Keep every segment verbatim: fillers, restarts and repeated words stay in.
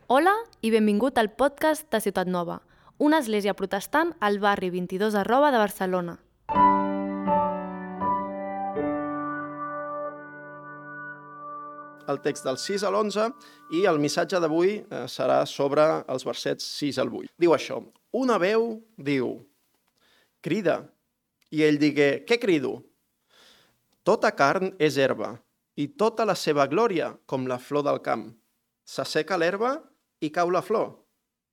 Hola i benvingut al podcast de Ciutat Nova, una església protestant al barri vint-i-dos arroba de Barcelona. El text del sis a l'onze i el missatge d'avui eh, serà sobre els versets sis al vuit. Diu això: una veu diu, crida, i ell digué, què crido? Tota carn és herba, i tota la seva glòria com la flor del camp. S'asseca l'herba i cau la flor,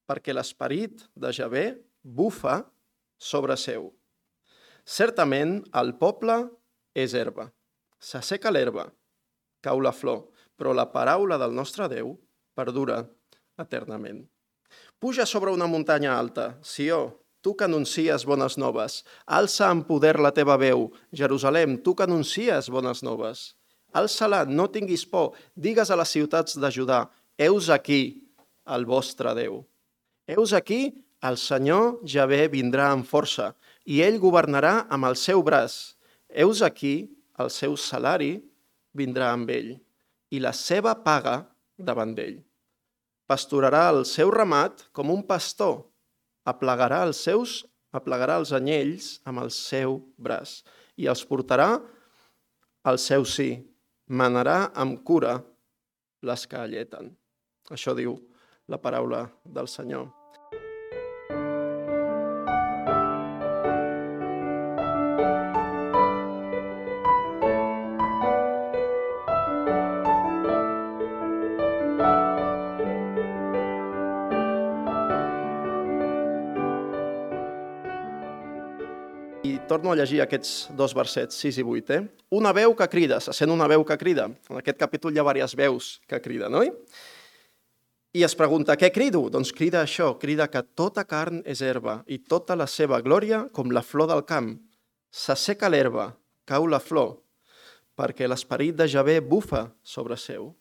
perquè l'esperit de Javé bufa sobre seu. Certament el poble és herba. S'asseca l'herba, cau la flor, però la paraula del nostre Déu perdura eternament. Puja sobre una muntanya alta, Sió, tu que anuncies bones noves. Alça en poder la teva veu, Jerusalem, tu que anuncies bones noves. Alça-la, no tinguis por, digues a les ciutats de Judà, heus aquí el vostre Déu. Heus aquí el Senyor Javé vindrà amb força, i ell governarà amb el seu braç. Heus aquí el seu salari vindrà amb ell, i la seva paga davant d'ell. Pasturarà el seu ramat com un pastor, aplegarà els seus, aplegarà els anyells amb el seu braç, i els portarà al seu sí, manarà amb cura les que alleten. Això diu la paraula del Senyor. I torno a llegir aquests dos versets, sis i vuit. Eh? Una veu que crida, se sent una veu que crida. En aquest capítol hi ha diverses veus que criden, oi? I es pregunta, què crido? Doncs crida això, crida que tota carn és herba i tota la seva glòria com la flor del camp. S'asseca l'herba, cau la flor, perquè l'esperit de Javé bufa sobre seu.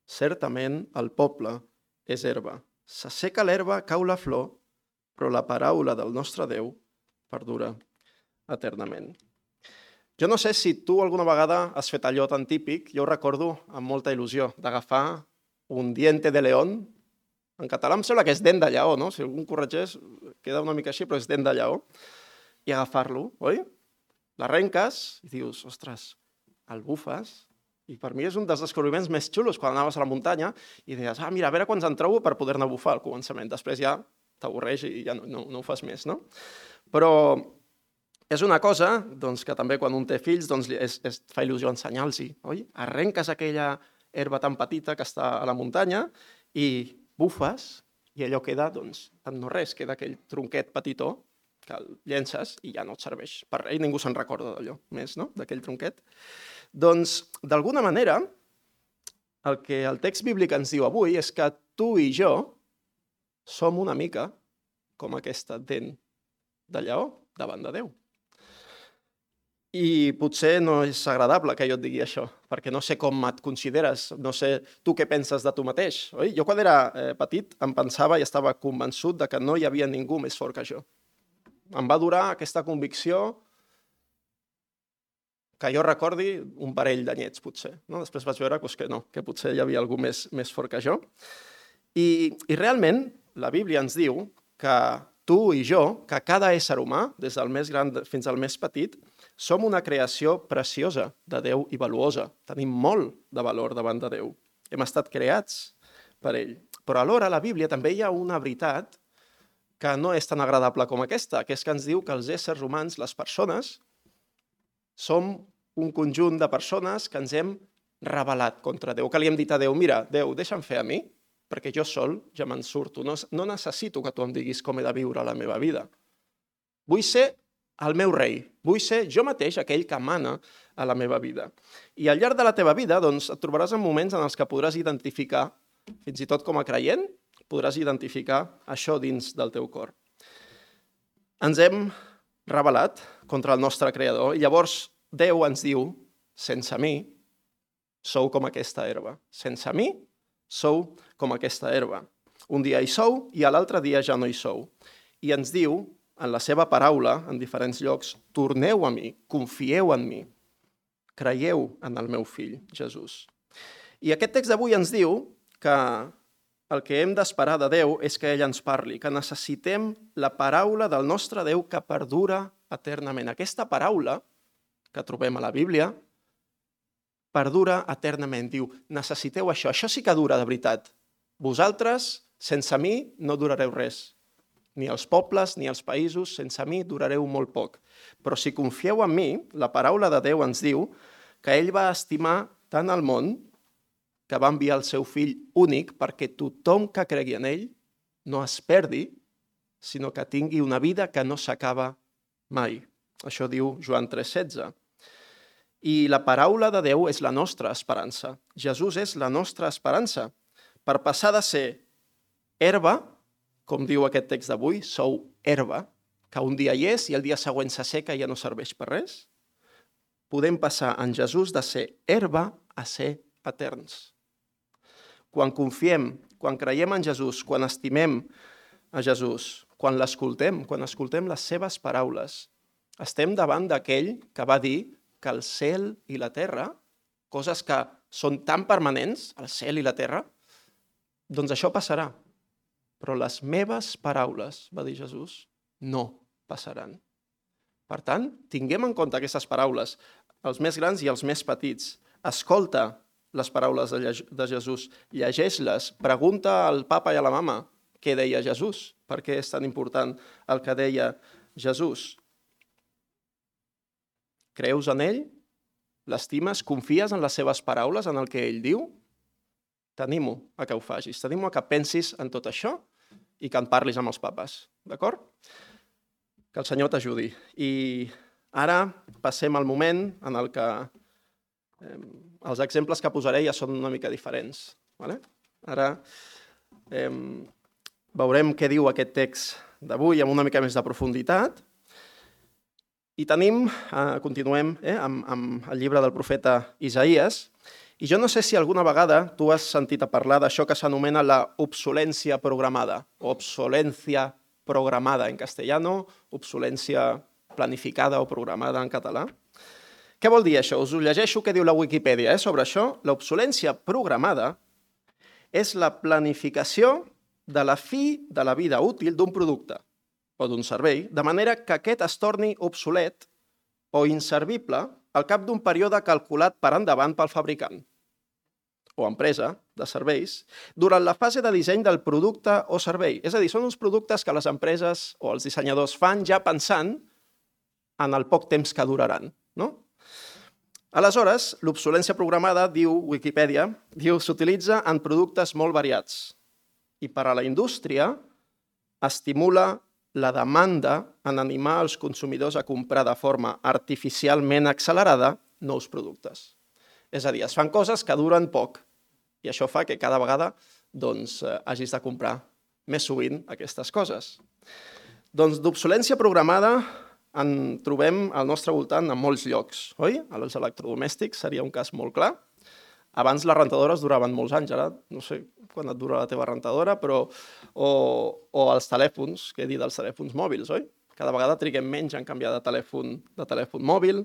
Certament el poble és herba. S'asseca l'herba, cau la flor, però la paraula del nostre Déu perdura eternament. Jo no sé si tu alguna vegada has fet allò tan típic, jo ho recordo amb molta il·lusió, d'agafar un diente de león. En català em sembla que és dent de lleó, no? Si algú em corregeix, queda una mica així, però és dent de lleó. I agafar-lo, oi? L'arrenques i dius, ostres, el bufes. I per mi és un dels descobriments més xulos quan anaves a la muntanya i deies, ah, mira, a veure quants en trobo per poder-ne bufar al començament. Després ja t'avorreix i ja no, no, no ho fas més, no? Però és una cosa doncs, que també quan un té fills doncs, es, es fa il·lusió ensenyar-los, oi? Arrenques aquella herba tan petita que està a la muntanya i bufes i allò queda, doncs, en no res, queda aquell tronquet petitó que el llences i ja no et serveix per res i ningú se'n recorda d'allò més, no?, d'aquell tronquet. Doncs, d'alguna manera, el que el text bíblic ens diu avui és que tu i jo som una mica com aquesta dent de lleó davant de Déu. I potser no és agradable que jo et digui això, perquè no sé com et consideres, no sé tu què penses de tu mateix. Oi? Jo quan era eh, petit em pensava i estava convençut de que no hi havia ningú més fort que jo. Em va durar aquesta convicció que jo recordi un parell d'anyets, potser. No? Després vaig veure doncs, que no, que potser hi havia algú més, més fort que jo. I, I realment la Bíblia ens diu que tu i jo, que cada ésser humà, des del més gran fins al més petit, som una creació preciosa de Déu i valuosa. Tenim molt de valor davant de Déu. Hem estat creats per ell. Però alhora a la Bíblia també hi ha una veritat que no és tan agradable com aquesta, que és que ens diu que els éssers humans, les persones, som un conjunt de persones que ens hem rebel·lat contra Déu, que li hem dit a Déu, mira, Déu, deixa'm fer a mi, perquè jo sol ja me'n surto. No, no necessito que tu em diguis com he de viure la meva vida. Vull ser el meu rei, vull ser jo mateix aquell que mana a la meva vida. I al llarg de la teva vida doncs, et trobaràs en moments en els que podràs identificar, fins i tot com a creient, podràs identificar això dins del teu cor. Ens hem rebel·lat contra el nostre Creador i llavors Déu ens diu, sense mi sou com aquesta herba. Sense mi sou com aquesta herba. Un dia hi sou i a l'altre dia ja no hi sou. I ens diu, en la seva paraula, en diferents llocs, torneu a mi, confieu en mi, creieu en el meu fill, Jesús. I aquest text d'avui ens diu que el que hem d'esperar de Déu és que ell ens parli, que necessitem la paraula del nostre Déu que perdura eternament. Aquesta paraula que trobem a la Bíblia perdura eternament. Diu, necessiteu això, això sí que dura de veritat. Vosaltres, sense mi, no durareu res. Ni els pobles, ni els països, sense mi durareu molt poc. Però si confieu en mi, la paraula de Déu ens diu que ell va estimar tant el món que va enviar el seu fill únic perquè tothom que cregui en ell no es perdi, sinó que tingui una vida que no s'acaba mai. Això diu Joan tres setze. I la paraula de Déu és la nostra esperança. Jesús és la nostra esperança. Per passar de ser herba, com diu aquest text d'avui, sou herba, que un dia hi és i el dia següent s'asseca i ja no serveix per res, podem passar en Jesús de ser herba a ser eterns. Quan confiem, quan creiem en Jesús, quan estimem a Jesús, quan l'escoltem, quan escoltem les seves paraules, estem davant d'aquell que va dir que el cel i la terra, coses que són tan permanents, el cel i la terra, doncs això passarà. Però les meves paraules, va dir Jesús, no passaran. Per tant, tinguem en compte aquestes paraules, els més grans i els més petits. Escolta les paraules de Jesús, llegeix-les, pregunta al papa i a la mama què deia Jesús, per què és tan important el que deia Jesús. Creus en ell? L'estimes? Confies en les seves paraules, en el que ell diu? T'animo a que ho facis, t'animo a que pensis en tot això i que en parlis amb els papes, d'acord? Que el Senyor t'ajudi. I ara passem al moment en el que eh, els exemples que posaré ja són una mica diferents. Vale? Ara eh, veurem què diu aquest text d'avui amb una mica més de profunditat. I tenim, eh, continuem eh, amb, amb el llibre del profeta Isaías, i jo no sé si alguna vegada tu has sentit a parlar d'això que s'anomena la obsolència programada, o obsolència programada en castellano, obsolència planificada o programada en català. Què vol dir això? Us ho llegeixo què diu la Wikipedia eh, sobre això. L'obsolència programada és la planificació de la fi de la vida útil d'un producte o d'un servei, de manera que aquest es torni obsolet o inservible al cap d'un període calculat per endavant pel fabricant o empresa de serveis durant la fase de disseny del producte o servei. És a dir, són uns productes que les empreses o els dissenyadors fan ja pensant en el poc temps que duraran, no? Aleshores, l'obsolència programada, diu Wikipedia, diu s'utilitza en productes molt variats i per a la indústria estimula la demanda en animar els consumidors a comprar de forma artificialment accelerada nous productes. És a dir, es fan coses que duren poc i això fa que cada vegada doncs, hagis de comprar més sovint aquestes coses. Doncs d'obsolència programada en trobem al nostre voltant en molts llocs, oi? Els electrodomèstics seria un cas molt clar. Abans les rentadores duraven molts anys, ara no sé quan et dura la teva rentadora, però o, o els telèfons, què dir dels telèfons mòbils, oi? Cada vegada triguem menys en canviar de telèfon, de telèfon mòbil.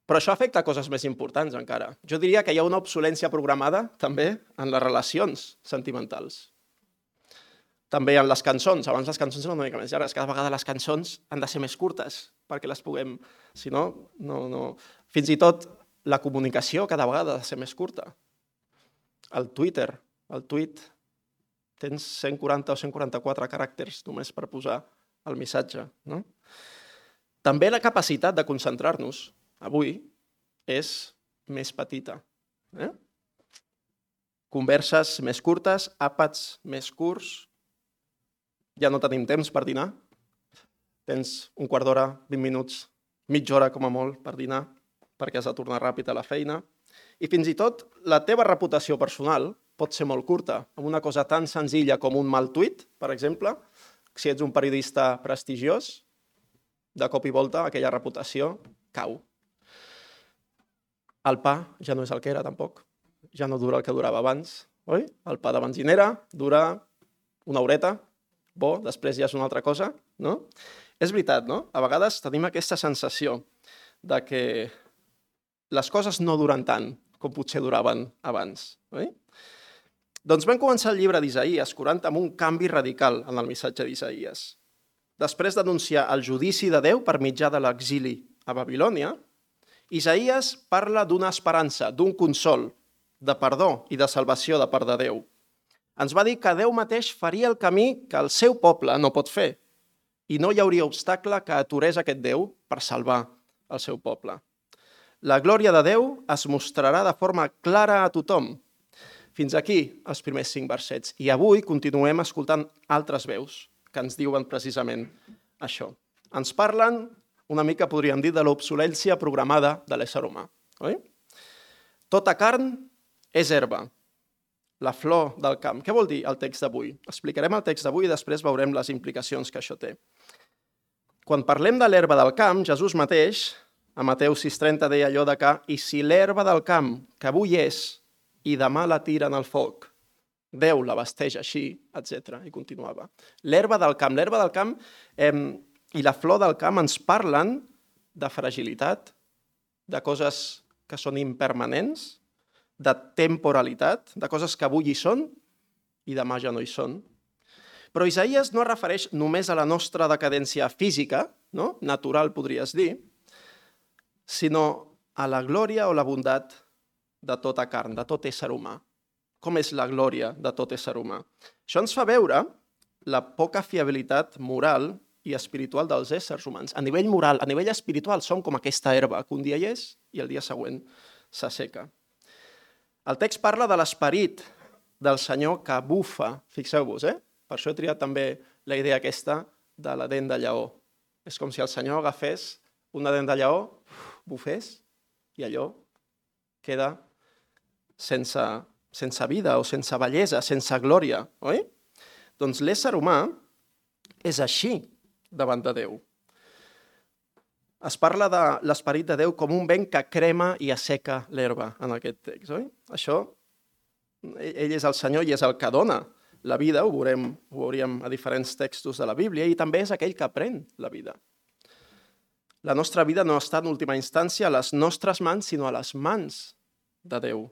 Però això afecta coses més importants encara. Jo diria que hi ha una obsolència programada també en les relacions sentimentals. També en les cançons. Abans les cançons eren una mica més llargues. Cada vegada les cançons han de ser més curtes perquè les puguem... Si no, no, no... Fins i tot la comunicació cada vegada ha de ser més curta. El Twitter, el tuit, tens cent quaranta o cent quaranta-quatre caràcters només per posar el missatge, no? També la capacitat de concentrar-nos avui és més petita. Eh? Converses més curtes, àpats més curts, ja no tenim temps per dinar, tens un quart d'hora, vint minuts, mitja hora com a molt per dinar, perquè has de tornar ràpid a la feina. I fins i tot la teva reputació personal pot ser molt curta, amb una cosa tan senzilla com un mal tuit, per exemple. Si ets un periodista prestigiós, de cop i volta aquella reputació cau. El pa ja no és el que era, tampoc. Ja no dura el que durava abans, oi? El pa de benzinera dura una horeta, bo, després ja és una altra cosa, no? És veritat, no? A vegades tenim aquesta sensació de que les coses no duren tant com potser duraven abans, oi? Doncs vam començar el llibre d'Isaïes quaranta amb un canvi radical en el missatge d'Isaïes. Després d'anunciar el judici de Déu per mitjà de l'exili a Babilònia, Isaïes parla d'una esperança, d'un consol, de perdó i de salvació de part de Déu. Ens va dir que Déu mateix faria el camí que el seu poble no pot fer i no hi hauria obstacle que aturés aquest Déu per salvar el seu poble. La glòria de Déu es mostrarà de forma clara a tothom. Fins aquí els primers cinc versets. I avui continuem escoltant altres veus que ens diuen precisament això. Ens parlen, una mica podríem dir, de l'obsolència programada de l'ésser humà. Oi? Tota carn és herba, la flor del camp. Què vol dir el text d'avui? Explicarem el text d'avui i després veurem les implicacions que això té. Quan parlem de l'herba del camp, Jesús mateix, a Mateu sis trenta, deia allò de que «I si l'herba del camp, que avui és, i demà la tiren al foc, Déu la vesteix així», etcètera. I continuava. L'herba del camp. L'herba del camp eh, i la flor del camp ens parlen de fragilitat, de coses que són impermanents, de temporalitat, de coses que avui hi són i demà ja no hi són. Però Isaïes no es refereix només a la nostra decadència física, no? Natural podries dir, sinó a la glòria o la bondat de tota carn, de tot ésser humà. Com és la glòria de tot ésser humà? Això ens fa veure la poca fiabilitat moral i espiritual dels éssers humans. A nivell moral, a nivell espiritual, som com aquesta herba, que un dia hi és i el dia següent s'asseca. El text parla de l'esperit del Senyor que bufa, fixeu-vos, eh? Per això he triat també la idea aquesta de la dent de lleó. És com si el Senyor agafés una dent de lleó, bufés, i allò queda sense, sense vida o sense bellesa, sense glòria, oi? Doncs l'ésser humà és així davant de Déu. Es parla de l'esperit de Déu com un vent que crema i asseca l'herba en aquest text, oi? Això, ell és el Senyor i és el que dona la vida, ho veurem, ho veuríem a diferents textos de la Bíblia, i també és aquell que pren la vida. La nostra vida no està en última instància a les nostres mans, sinó a les mans de Déu.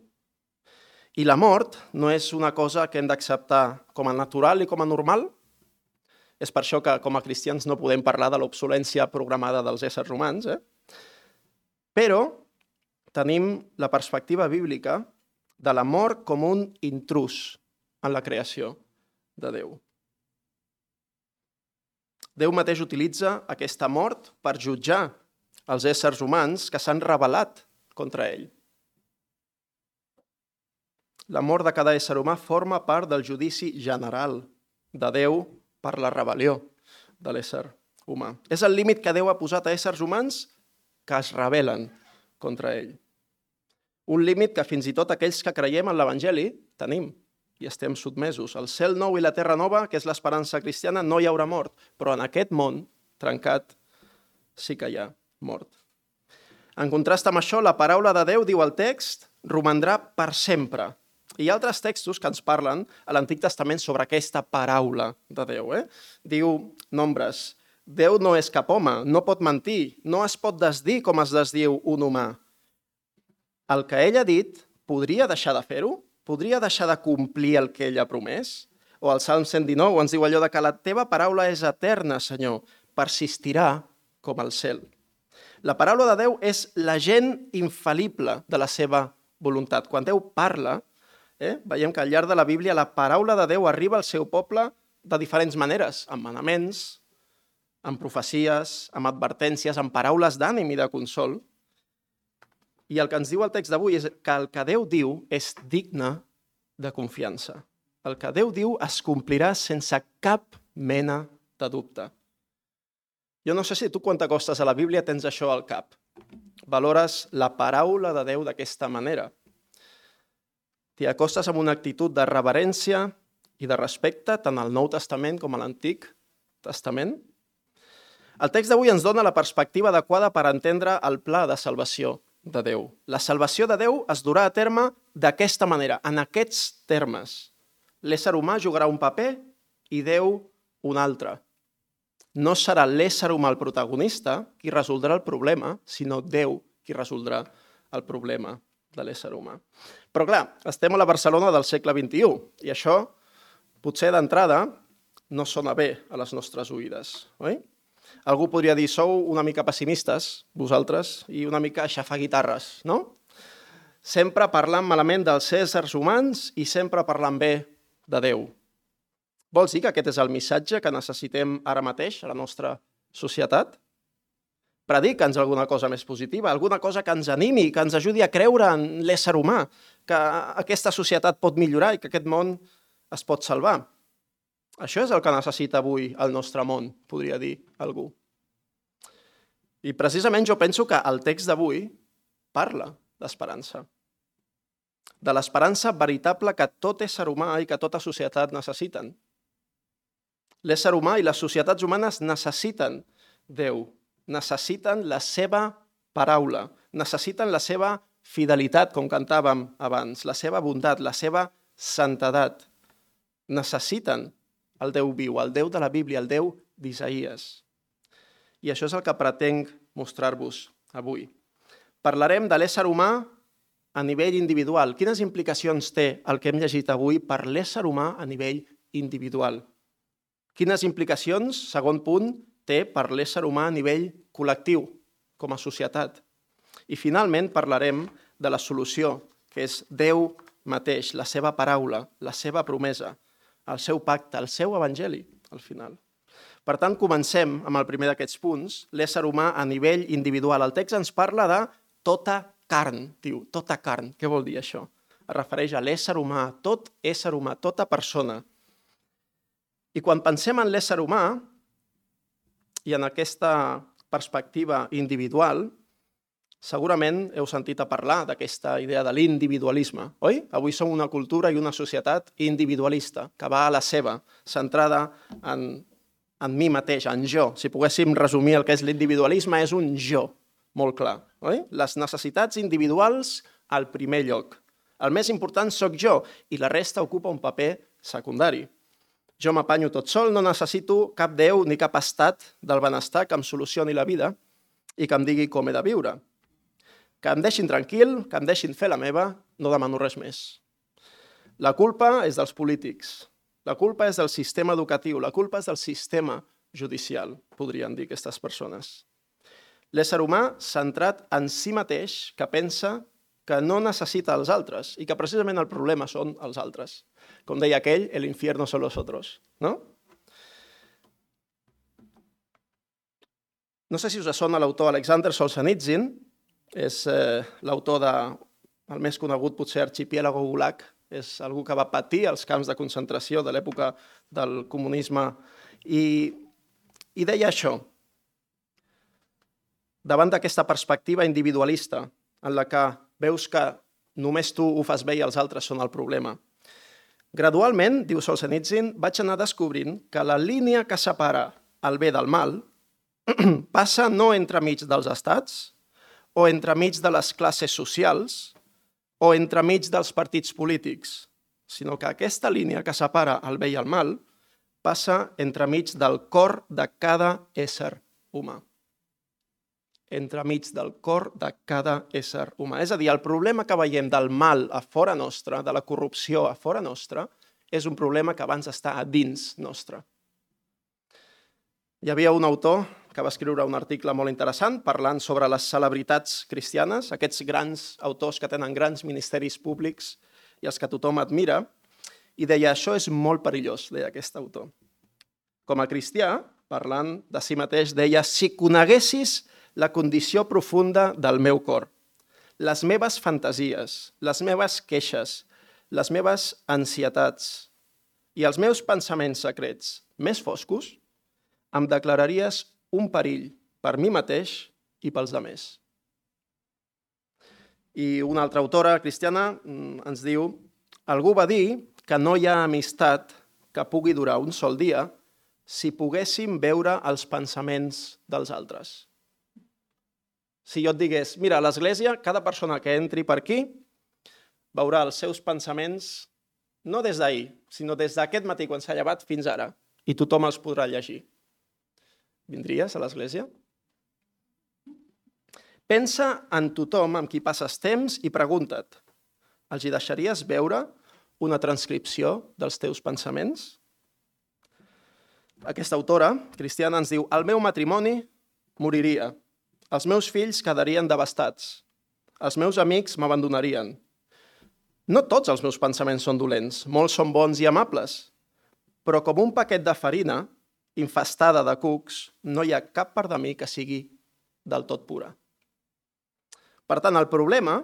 I la mort no és una cosa que hem d'acceptar com a natural i com a normal. És per això que com a cristians no podem parlar de l'obsolència programada dels éssers humans, eh? Però tenim la perspectiva bíblica de la mort com un intrús en la creació de Déu. Déu mateix utilitza aquesta mort per jutjar els éssers humans que s'han rebel·lat contra ell. La mort de cada ésser humà forma part del judici general de Déu per la rebel·lió de l'ésser humà. És el límit que Déu ha posat a éssers humans que es rebel·len contra ell. Un límit que fins i tot aquells que creiem en l'Evangeli tenim i estem sotmesos. El cel nou i la terra nova, que és l'esperança cristiana, no hi haurà mort, però en aquest món trencat sí que hi ha mort. En contrast amb això, la paraula de Déu, diu el text, romandrà per sempre. Hi ha altres textos que ens parlen a l'Antic Testament sobre aquesta paraula de Déu. Eh? Diu Nombres, Déu no és cap home, no pot mentir, no es pot desdir com es desdiu un humà. El que ell ha dit, podria deixar de fer-ho? Podria deixar de complir el que ell ha promès? O el Salm cent dinou ens diu allò de que la teva paraula és eterna, Senyor, persistirà com el cel. La paraula de Déu és l'agent infal·lible de la seva voluntat. Quan Déu parla, Eh? veiem que al llarg de la Bíblia la paraula de Déu arriba al seu poble de diferents maneres, amb manaments, amb profecies, amb advertències, amb paraules d'ànim i de consol. I el que ens diu el text d'avui és que el que Déu diu és digne de confiança. El que Déu diu es complirà sense cap mena de dubte. Jo no sé si tu quan t'acostes a la Bíblia tens això al cap. Valores la paraula de Déu d'aquesta manera. T'hi acostes amb una actitud de reverència i de respecte tant al Nou Testament com a l'Antic Testament. El text d'avui ens dona la perspectiva adequada per entendre el pla de salvació de Déu. La salvació de Déu es durà a terme d'aquesta manera, en aquests termes. L'ésser humà jugarà un paper i Déu un altre. No serà l'ésser humà el protagonista qui resoldrà el problema, sinó Déu qui resoldrà el problema de l'ésser humà. Però clar, estem a la Barcelona del segle vint-i-u i això, potser d'entrada, no sona bé a les nostres oïdes, oi? Algú podria dir, sou una mica pessimistes, vosaltres, i una mica aixafar guitarres, no? Sempre parlant malament dels éssers humans i sempre parlant bé de Déu. Vols dir que aquest és el missatge que necessitem ara mateix a la nostra societat? Predica'ns alguna cosa més positiva, alguna cosa que ens animi, que ens ajudi a creure en l'ésser humà, que aquesta societat pot millorar i que aquest món es pot salvar. Això és el que necessita avui el nostre món, podria dir algú. I precisament jo penso que el text d'avui parla d'esperança. De l'esperança veritable que tot ésser humà i que tota societat necessiten. L'ésser humà i les societats humanes necessiten Déu, necessiten la seva paraula, necessiten la seva fidelitat, com cantàvem abans, la seva bondat, la seva santedat. Necessiten el Déu viu, el Déu de la Bíblia, el Déu d'Isaïes. I això és el que pretenc mostrar-vos avui. Parlarem de l'ésser humà a nivell individual. Quines implicacions té el que hem llegit avui per l'ésser humà a nivell individual? Quines implicacions, segon punt, té per l'ésser humà a nivell col·lectiu, com a societat? I finalment parlarem de la solució, que és Déu mateix, la seva paraula, la seva promesa, el seu pacte, el seu evangeli, al final. Per tant, comencem amb el primer d'aquests punts, l'ésser humà a nivell individual. El text ens parla de tota carn, diu, tota carn. Què vol dir això? Es refereix a l'ésser humà, tot ésser humà, tota persona. I quan pensem en l'ésser humà i en aquesta perspectiva individual, segurament heu sentit a parlar d'aquesta idea de l'individualisme, oi? Avui som una cultura i una societat individualista, que va a la seva, centrada en, en mi mateix, en jo. Si poguéssim resumir el que és l'individualisme, és un jo, molt clar, oi? Les necessitats individuals al primer lloc. El més important sóc jo i la resta ocupa un paper secundari. Jo m'apanyo tot sol, no necessito cap Déu ni cap estat del benestar que em solucioni la vida i que em digui com he de viure. Que em deixin tranquil, que em deixin fer la meva, no demano res més. La culpa és dels polítics, la culpa és del sistema educatiu, la culpa és del sistema judicial, podrien dir aquestes persones. L'ésser humà centrat en si mateix, que pensa que no necessita els altres i que precisament el problema són els altres. Com deia aquell, el infierno son los otros, no? No sé si us sona l'autor Alexander Solzhenitsyn, és eh, l'autor del més conegut potser Archipiélago Gulag, és algú que va patir els camps de concentració de l'època del comunisme i, i deia això. Davant d'aquesta perspectiva individualista en la que veus que només tu ho fas bé i els altres són el problema. Gradualment, diu Solzhenitsyn, vaig anar descobrint que la línia que separa el bé del mal passa no entremig dels estats o entremig de les classes socials o entremig dels partits polítics, sinó que aquesta línia que separa el bé i el mal passa entremig del cor de cada ésser humà. Entremig del cor de cada ésser humà. És a dir, el problema que veiem del mal a fora nostre, de la corrupció a fora nostre, és un problema que abans està a dins nostre. Hi havia un autor que va escriure un article molt interessant parlant sobre les celebritats cristianes, aquests grans autors que tenen grans ministeris públics i els que tothom admira, i deia, això és molt perillós, deia aquest autor. Com a cristià, parlant de si mateix, deia, si coneguessis la condició profunda del meu cor, les meves fantasies, les meves queixes, les meves ansietats i els meus pensaments secrets més foscos, em declararies un perill per mi mateix i pels altres. I una altra autora cristiana ens diu, algú va dir que no hi ha amistat que pugui durar un sol dia si poguéssim veure els pensaments dels altres. Si jo et digués, mira, a l'església, cada persona que entri per aquí veurà els seus pensaments no des d'ahir, sinó des d'aquest matí quan s'ha llevat fins ara, i tothom els podrà llegir. Vindries a l'església? Pensa en tothom amb qui passes temps i pregunta't, Els hi deixaries veure una transcripció dels teus pensaments? Aquesta autora cristiana ens diu: el meu matrimoni moriria, els meus fills quedarien devastats, els meus amics m'abandonarien. No tots els meus pensaments són dolents, molts són bons i amables, però com un paquet de farina infestada de cucs, no hi ha cap part de mi que sigui del tot pura. Per tant, el problema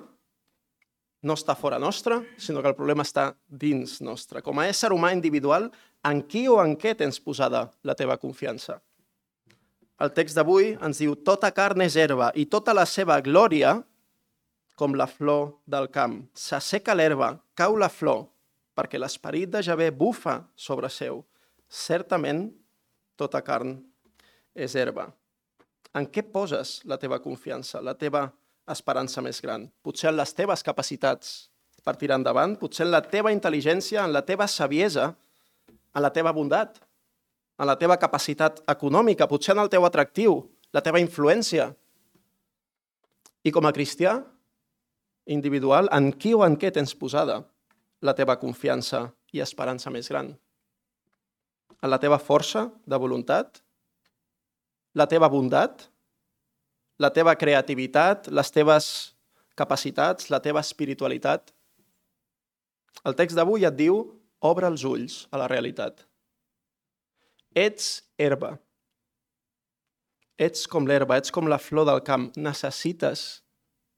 no està fora nostre, sinó que el problema està dins nostre. Com a ésser humà individual, en qui o en què tens posada la teva confiança? El text d'avui ens diu: tota carn és herba i tota la seva glòria com la flor del camp. S'asseca l'herba, cau la flor, perquè l'esperit de Javé bufa sobre seu. Certament, tota carn és herba. En què poses la teva confiança, la teva esperança més gran? Potser en les teves capacitats per tirar endavant, potser en la teva intel·ligència, en la teva saviesa, en la teva bondat, en la teva capacitat econòmica, potser en el teu atractiu, la teva influència. I com a cristià individual, en qui o en què tens posada la teva confiança i esperança més gran? En la teva força de voluntat? La teva bondat? La teva creativitat? Les teves capacitats? La teva espiritualitat? El text d'avui et diu: obre els ulls a la realitat. Ets herba. Ets com l'herba, ets com la flor del camp. Necessites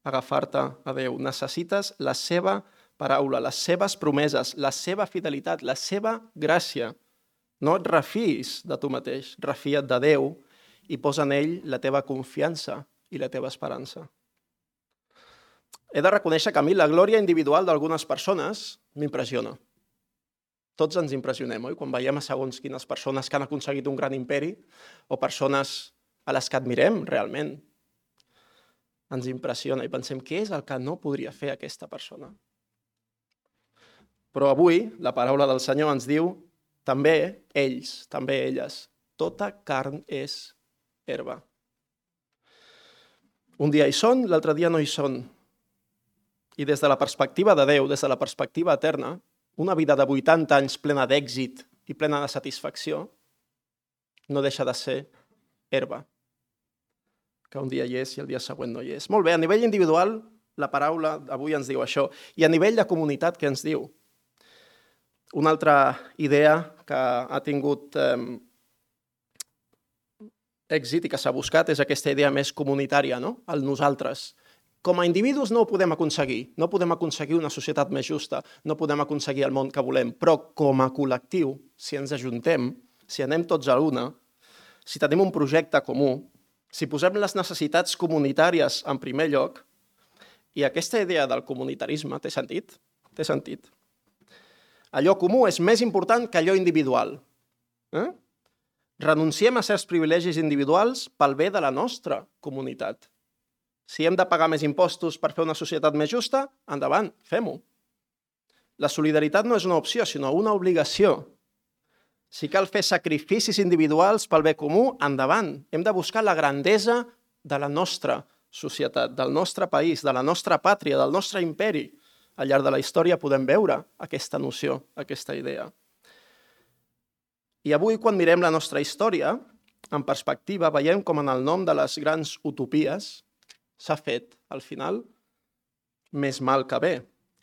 agafar-te a Déu. Necessites la seva paraula, les seves promeses, la seva fidelitat, la seva gràcia. No et refiïs de tu mateix, refia't de Déu i posa en ell la teva confiança i la teva esperança. He de reconèixer que a mi la glòria individual d'algunes persones m'impressiona. Tots ens impressionem, oi? Quan veiem a segons quines persones que han aconseguit un gran imperi o persones a les que admirem realment, ens impressiona i pensem: què és el que no podria fer aquesta persona? Però avui la paraula del Senyor ens diu: també ells, també elles, tota carn és herba. Un dia hi són, l'altre dia no hi són. I des de la perspectiva de Déu, des de la perspectiva eterna, una vida de vuitanta anys plena d'èxit i plena de satisfacció no deixa de ser herba, que un dia hi és i el dia següent no hi és. Molt bé, a nivell individual, la paraula avui ens diu això. I a nivell de comunitat, què ens diu? Una altra idea que ha tingut eh, èxit i que s'ha buscat és aquesta idea més comunitària, no? El nosaltres. Com a individus no ho podem aconseguir, no podem aconseguir una societat més justa, no podem aconseguir el món que volem, però com a col·lectiu, si ens ajuntem, si anem tots a l'una, si tenim un projecte comú, si posem les necessitats comunitàries en primer lloc, i aquesta idea del comunitarisme té sentit? Té sentit. Allò comú és més important que allò individual. Eh? Renunciem a certs privilegis individuals pel bé de la nostra comunitat. Si hem de pagar més impostos per fer una societat més justa, endavant, fem-ho. La solidaritat no és una opció, sinó una obligació. Si cal fer sacrificis individuals pel bé comú, endavant. Hem de buscar la grandesa de la nostra societat, del nostre país, de la nostra pàtria, del nostre imperi. Al llarg de la història podem veure aquesta noció, aquesta idea. I avui, quan mirem la nostra història, en perspectiva, veiem com en el nom de les grans utopies s'ha fet, al final, més mal que bé,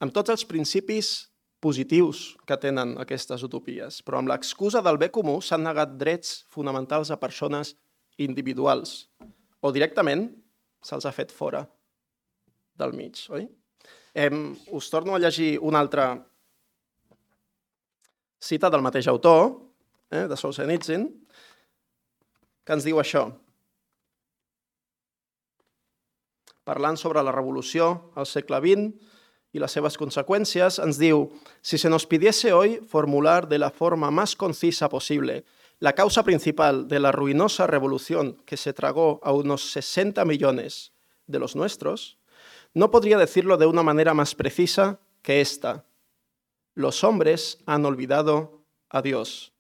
amb tots els principis positius que tenen aquestes utopies, però amb l'excusa del bé comú s'han negat drets fonamentals a persones individuals, o directament se'ls ha fet fora del mig, oi? Eh, us torno a llegir una altra cita del mateix autor, eh, de Solzhenitsyn, que ens diu això. Parlant sobre la revolució al segle vint y las seves consecuencias, ens diu: si se nos pidiese hoy formular de la forma más concisa posible la causa principal de la ruinosa revolución que se tragó a unos sesenta millones de los nuestros, no podría decirlo de una manera más precisa que esta: los hombres han olvidado a Dios.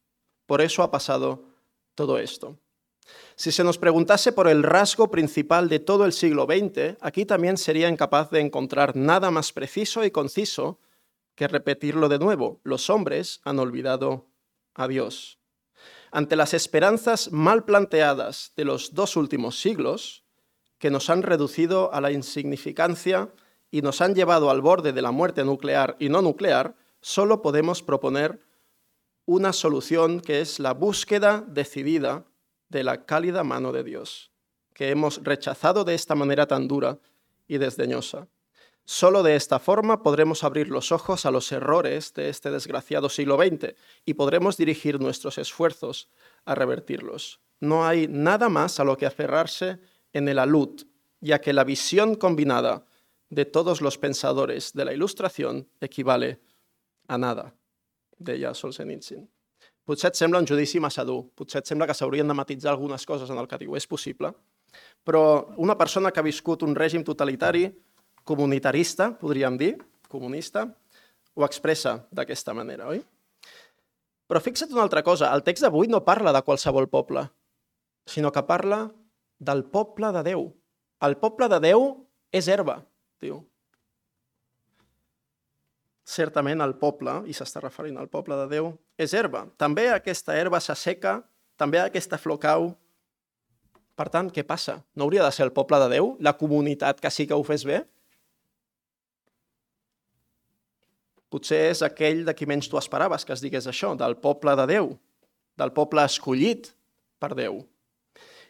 Por eso ha pasado todo esto. Si se nos preguntase por el rasgo principal de todo el siglo veinte, aquí también sería incapaz de encontrar nada más preciso y conciso que repetirlo de nuevo. Los hombres han olvidado a Dios. Ante las esperanzas mal planteadas de los dos últimos siglos, que nos han reducido a la insignificancia y nos han llevado al borde de la muerte nuclear y no nuclear, solo podemos proponer una solución que es la búsqueda decidida de la cálida mano de Dios, que hemos rechazado de esta manera tan dura y desdeñosa. Solo de esta forma podremos abrir los ojos a los errores de este desgraciado siglo veinte y podremos dirigir nuestros esfuerzos a revertirlos. No hay nada más a lo que aferrarse en el alud, ya que la visión combinada de todos los pensadores de la Ilustración equivale a nada, deia Solzhenitsyn. Potser et sembla un judici massa dur, potser et sembla que s'haurien de matisar algunes coses en el que diu, és possible, però una persona que ha viscut un règim totalitari, comunitarista, podríem dir, comunista, ho expressa d'aquesta manera, oi? Però fixa't una altra cosa, el text d'avui no parla de qualsevol poble, sinó que parla del poble de Déu. El poble de Déu és herba, diu. Certament el poble, i s'està referint al poble de Déu, és herba. També aquesta herba s'asseca, també aquesta flor cau. Per tant, què passa? No hauria de ser el poble de Déu, la comunitat que sí que ho fes bé? Potser és aquell de qui menys tu esperaves que es digués això, del poble de Déu, del poble escollit per Déu.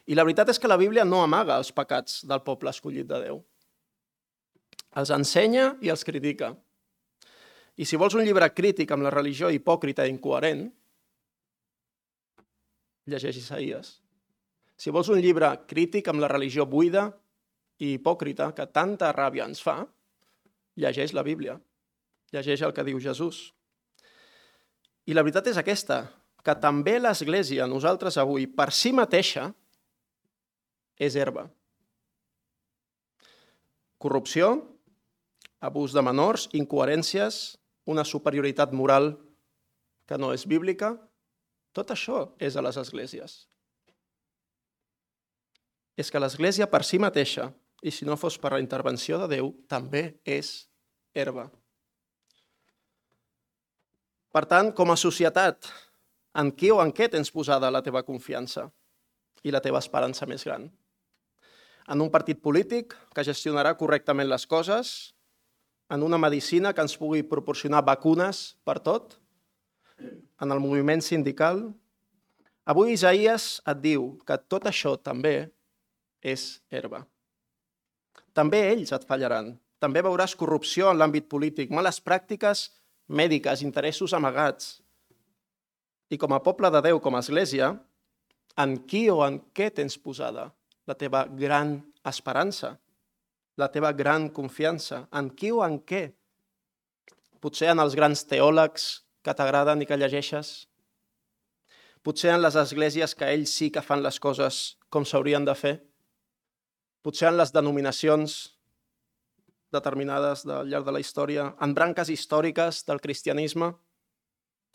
I la veritat és que la Bíblia no amaga els pecats del poble escollit de Déu. Els ensenya i els critica. I si vols un llibre crític amb la religió hipòcrita i incoherent, llegeix Isaïes. Si vols un llibre crític amb la religió buida i hipòcrita que tanta ràbia ens fa, llegeix la Bíblia. Llegeix el que diu Jesús. I la veritat és aquesta, que també l'Església, nosaltres avui, per si mateixa, és herba. Corrupció, abús de menors, incoherències, una superioritat moral que no és bíblica, tot això és a les esglésies. És que l'Església per si mateixa, i si no fos per la intervenció de Déu, també és herba. Per tant, com a societat, en qui o en què tens posada la teva confiança i la teva esperança més gran? En un partit polític que gestionarà correctament les coses, en una medicina que ens pugui proporcionar vacunes per tot, en el moviment sindical. Avui Isaïes et diu que tot això també és herba. També ells et fallaran. També veuràs corrupció en l'àmbit polític, males pràctiques mèdiques, interessos amagats. I com a poble de Déu, com a església, en qui o en què tens posada la teva gran esperança, la teva gran confiança? En qui o en què? Potser en els grans teòlegs que t'agraden i que llegeixes? Potser en les esglésies que ells sí que fan les coses com s'haurien de fer? Potser en les denominacions determinades al llarg de la història, en branques històriques del cristianisme,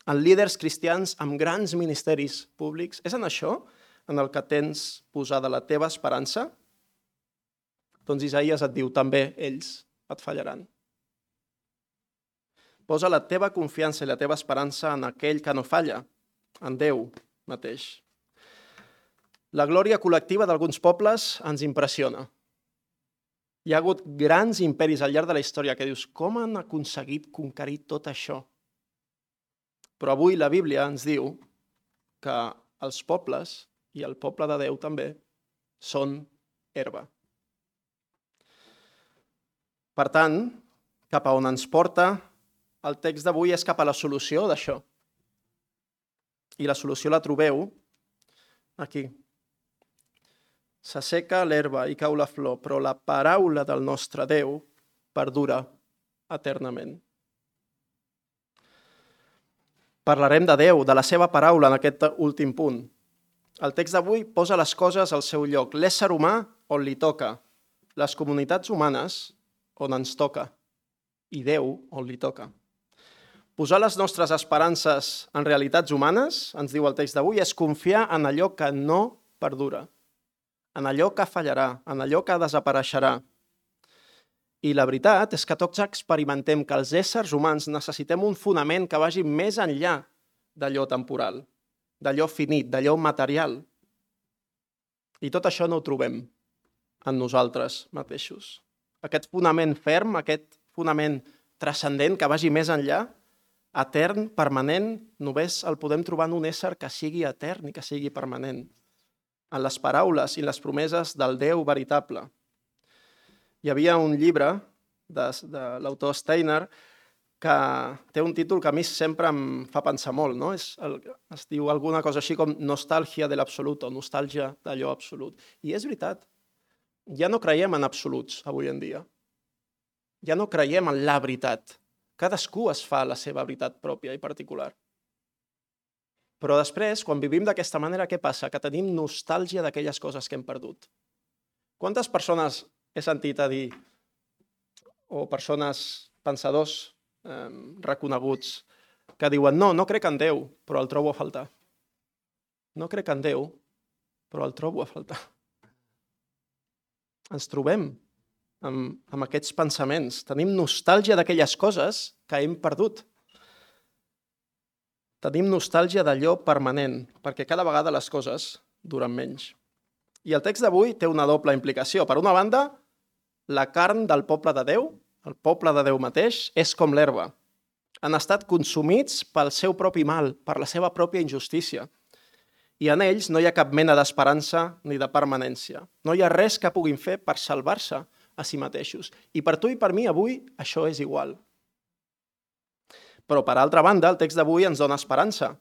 en líders cristians amb grans ministeris públics? És en això en el que tens posada la teva esperança? Doncs Isaïes et diu, també ells et fallaran. Posa la teva confiança i la teva esperança en aquell que no falla, en Déu mateix. La glòria col·lectiva d'alguns pobles ens impressiona. Hi ha hagut grans imperis al llarg de la història que dius, com han aconseguit conquerir tot això? Però avui la Bíblia ens diu que els pobles, i el poble de Déu també, són herba. Per tant, cap a on ens porta el text d'avui és cap a la solució d'això. I la solució la trobeu aquí. S'asseca l'herba i cau la flor, però la paraula del nostre Déu perdura eternament. Parlarem de Déu, de la seva paraula en aquest últim punt. El text d'avui posa les coses al seu lloc. L'ésser humà on li toca, les comunitats humanes on ens toca, i Déu on li toca. Posar les nostres esperances en realitats humanes, ens diu el text d'avui, és confiar en allò que no perdura, en allò que fallarà, en allò que desapareixerà. I la veritat és que tots experimentem que els éssers humans necessitem un fonament que vagi més enllà d'allò temporal, d'allò finit, d'allò material. I tot això no ho trobem en nosaltres mateixos. Aquest fonament ferm, aquest fonament transcendent que vagi més enllà, etern, permanent, només el podem trobar en un ésser que sigui etern i que sigui permanent, en les paraules i les promeses del Déu veritable. Hi havia un llibre de, de l'autor Steiner que té un títol que a mi sempre em fa pensar molt, no? És el, es diu alguna cosa així com nostàlgia de l'absolut o nostàlgia d'allò absolut. I és veritat, ja no creiem en absoluts avui en dia. Ja no creiem en la veritat. Cadascú es fa la seva veritat pròpia i particular. Però després, quan vivim d'aquesta manera, què passa? Que tenim nostàlgia d'aquelles coses que hem perdut. Quantes persones he sentit a dir, o persones, pensadors eh, reconeguts, que diuen no, no crec en Déu, però el trobo a faltar. No crec en Déu, però el trobo a faltar. Ens trobem amb, amb aquests pensaments. Tenim nostàlgia d'aquelles coses que hem perdut. Tenim nostàlgia d'allò permanent, perquè cada vegada les coses duren menys. I el text d'avui té una doble implicació. Per una banda, la carn del poble de Déu, el poble de Déu mateix, és com l'herba. Han estat consumits pel seu propi mal, per la seva pròpia injustícia. I en ells no hi ha cap mena d'esperança ni de permanència. No hi ha res que puguin fer per salvar-se a si mateixos. I per tu i per mi avui això és igual. Però, per altra banda, el text d'avui ens dona esperança.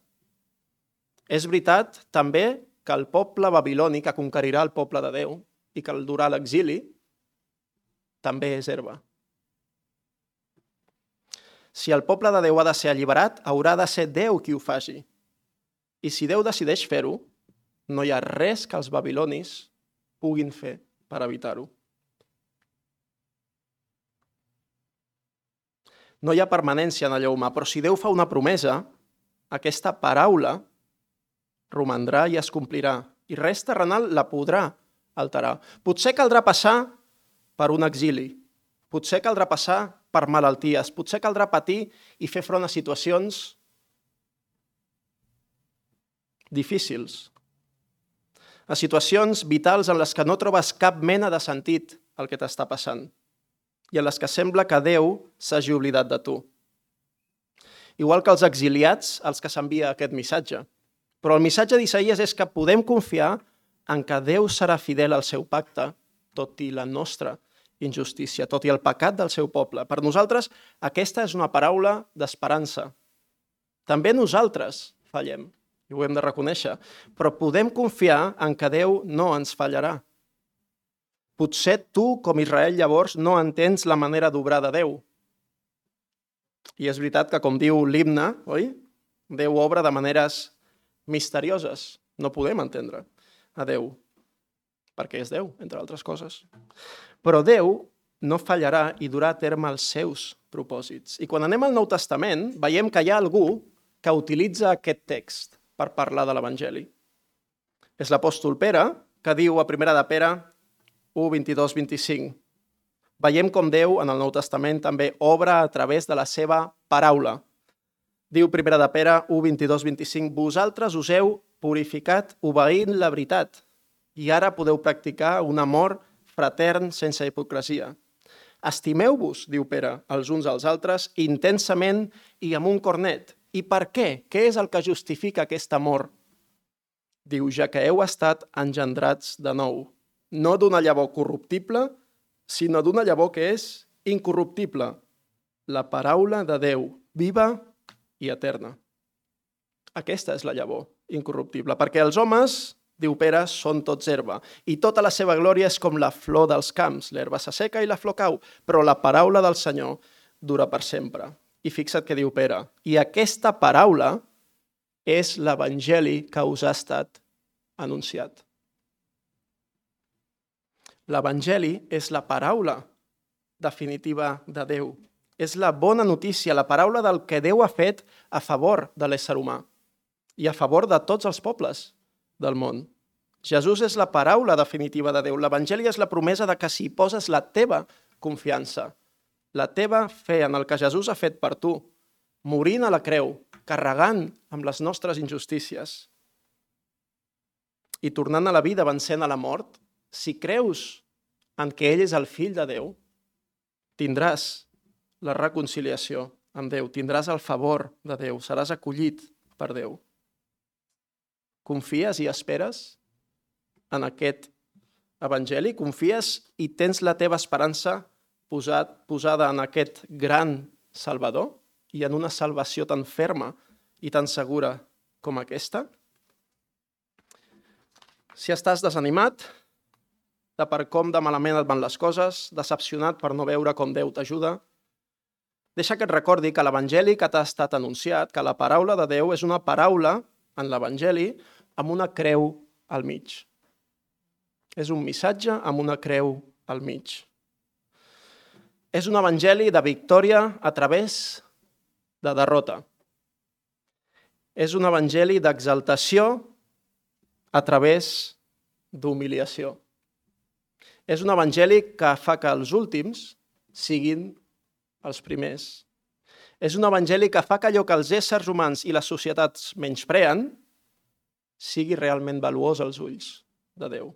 És veritat també que el poble babiloni que conquerirà el poble de Déu i que el durà a l'exili també és herba. Si el poble de Déu ha de ser alliberat, haurà de ser Déu qui ho faci. I si Déu decideix fer-ho, no hi ha res que els babilonis puguin fer per evitar-ho. No hi ha permanència en allò humà, però si Déu fa una promesa, aquesta paraula romandrà i es complirà, i res terrenal la podrà alterar. Potser caldrà passar per un exili, potser caldrà passar per malalties, potser caldrà patir i fer front a situacions difícils, a situacions vitals en les que no trobes cap mena de sentit el que t'està passant i en les que sembla que Déu s'hagi oblidat de tu. Igual que els exiliats als que s'envia aquest missatge. Però el missatge d'Isaïes és que podem confiar en que Déu serà fidel al seu pacte, tot i la nostra injustícia, tot i el pecat del seu poble. Per nosaltres, aquesta és una paraula d'esperança. També nosaltres fallem, i ho hem de reconèixer, però podem confiar en que Déu no ens fallarà. Potser tu, com Israel, llavors no entens la manera d'obrar de Déu. I és veritat que, com diu l'himne, oi? Déu obra de maneres misterioses. No podem entendre a Déu, perquè és Déu, entre altres coses. Però Déu no fallarà i durà a terme els seus propòsits. I quan anem al Nou Testament, veiem que hi ha algú que utilitza aquest text per parlar de l'Evangeli. És l'apòstol Pere, que diu a primera de Pere u, vint-i-dos, vint-i-cinc. Veiem com Déu, en el Nou Testament, també obra a través de la seva paraula. Diu primera de Pere u, vint-i-dos, vint-i-cinc, vosaltres us heu purificat obeint la veritat i ara podeu practicar un amor fratern sense hipocresia. Estimeu-vos, diu Pere, els uns als altres, intensament i amb un cor net. I per què? Què és el que justifica aquest amor? Diu, ja que heu estat engendrats de nou, no d'una llavor corruptible, sinó d'una llavor que és incorruptible, la paraula de Déu, viva i eterna. Aquesta és la llavor incorruptible, perquè els homes, diu Pere, són tots herba, i tota la seva glòria és com la flor dels camps, l'herba s'asseca i la flor cau, però la paraula del Senyor dura per sempre. I fixa't què diu Pere, i aquesta paraula és l'Evangeli que us ha estat anunciat. L'Evangeli és la paraula definitiva de Déu. És la bona notícia, la paraula del que Déu ha fet a favor de l'ésser humà i a favor de tots els pobles del món. Jesús és la paraula definitiva de Déu. L'Evangeli és la promesa de que si poses la teva confiança, la teva fe en el que Jesús ha fet per tu, morint a la creu, carregant amb les nostres injustícies i tornant a la vida vencent a la mort, si creus en que ell és el fill de Déu, tindràs la reconciliació amb Déu, tindràs el favor de Déu, seràs acollit per Déu. Confies i esperes en aquest evangeli? Confies i tens la teva esperança posat, posada en aquest gran Salvador i en una salvació tan ferma i tan segura com aquesta? Si estàs desanimat de per com de malament et van les coses, decepcionat per no veure com Déu t'ajuda, deixa que et recordi que l'Evangeli que t'ha estat anunciat, que la paraula de Déu és una paraula en l'Evangeli amb una creu al mig. És un missatge amb una creu al mig. És un evangeli de victòria a través de derrota. És un evangeli d'exaltació a través d'humiliació. És un evangeli que fa que els últims siguin els primers. És un evangeli que fa que allò que els éssers humans i les societats menyspreen sigui realment valuós als ulls de Déu.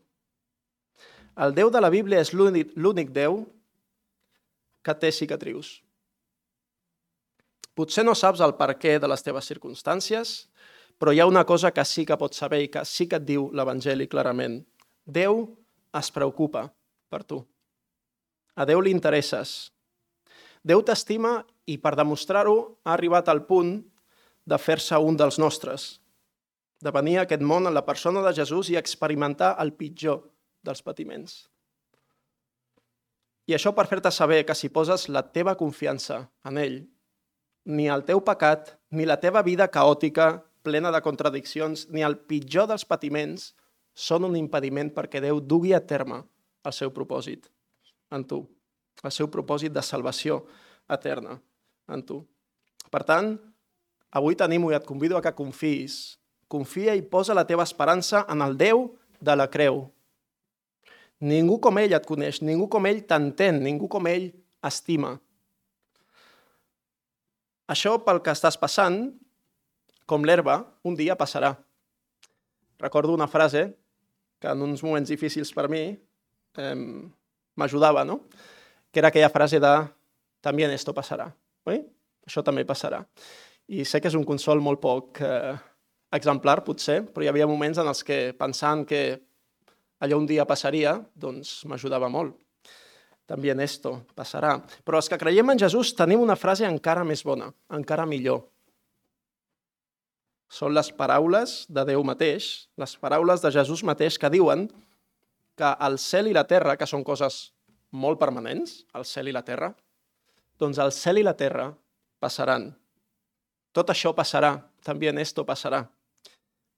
El Déu de la Bíblia és l'únic Déu que té cicatrius. Potser no saps el perquè de les teves circumstàncies, però hi ha una cosa que sí que pots saber i que sí que et diu l'Evangeli clarament. Déu es preocupa per tu. A Déu li interesses. Déu t'estima i per demostrar-ho ha arribat al punt de fer-se un dels nostres, de venir a aquest món en la persona de Jesús i experimentar el pitjor dels patiments. I això per fer-te saber que si poses la teva confiança en ell, ni el teu pecat, ni la teva vida caòtica, plena de contradiccions, ni el pitjor dels patiments són un impediment perquè Déu dugui a terme el seu propòsit en tu, el seu propòsit de salvació eterna en tu. Per tant, avui t'animo i et convido a que confiïs. Confia i posa la teva esperança en el Déu de la creu. Ningú com ell et coneix, ningú com ell t'entén, ningú com ell estima. Això pel que estàs passant, com l'herba, un dia passarà. Recordo una frase que en uns moments difícils per mi eh, m'ajudava, no? Que era aquella frase de «También esto pasará». Oi? Això també passarà. I sé que és un consol molt poc eh, exemplar, potser, però hi havia moments en els que pensant que allò un dia passaria, doncs m'ajudava molt. También esto passarà. Però els que creiem en Jesús tenim una frase encara més bona, encara millor. Són les paraules de Déu mateix, les paraules de Jesús mateix que diuen que el cel i la terra, que són coses molt permanents, el cel i la terra, doncs el cel i la terra passaran. Tot això passarà, també esto passarà.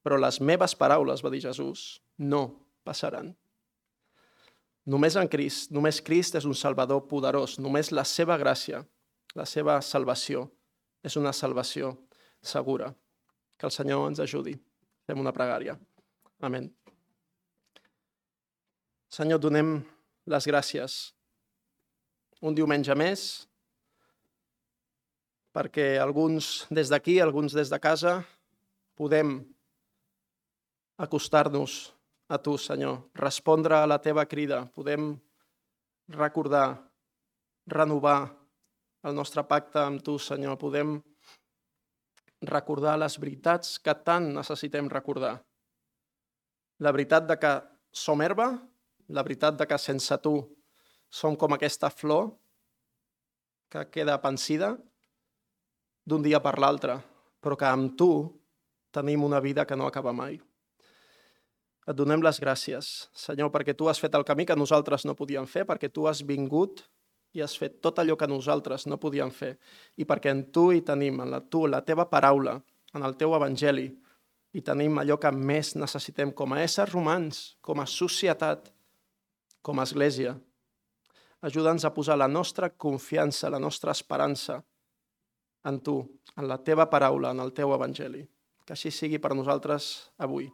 Però les meves paraules, va dir Jesús, no passaran. Només en Crist, només Crist és un Salvador poderós, només la seva gràcia, la seva salvació, és una salvació segura. Que el Senyor ens ajudi. Fem una pregària. Amén. Senyor, donem les gràcies un diumenge més perquè alguns des d'aquí, alguns des de casa, podem acostar-nos a tu, Senyor, respondre a la teva crida, podem recordar, renovar el nostre pacte amb tu, Senyor, podem recordar les veritats que tant necessitem recordar. La veritat de que som herba, la veritat de que sense tu som com aquesta flor que queda pansida d'un dia per l'altre, però que amb tu tenim una vida que no acaba mai. Et donem les gràcies, Senyor, perquè tu has fet el camí que nosaltres no podíem fer, perquè tu has vingut i has fet tot allò que nosaltres no podíem fer, i perquè en tu hi tenim, en la, tu, la teva paraula, en el teu evangeli, i tenim allò que més necessitem com a éssers humans, com a societat, com a església. Ajuda'ns a posar la nostra confiança, la nostra esperança en tu, en la teva paraula, en el teu evangeli. Que així sigui per nosaltres avui,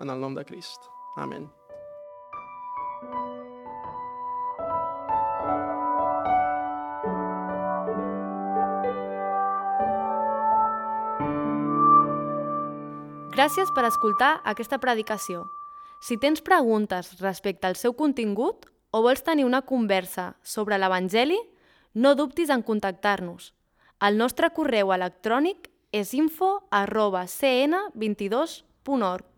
en el nom de Crist. Amén. Gràcies per escoltar aquesta predicació. Si tens preguntes respecte al seu contingut o vols tenir una conversa sobre l'Evangeli, no dubtis en contactar-nos. El nostre correu electrònic és info arroba c n vint dos punt org.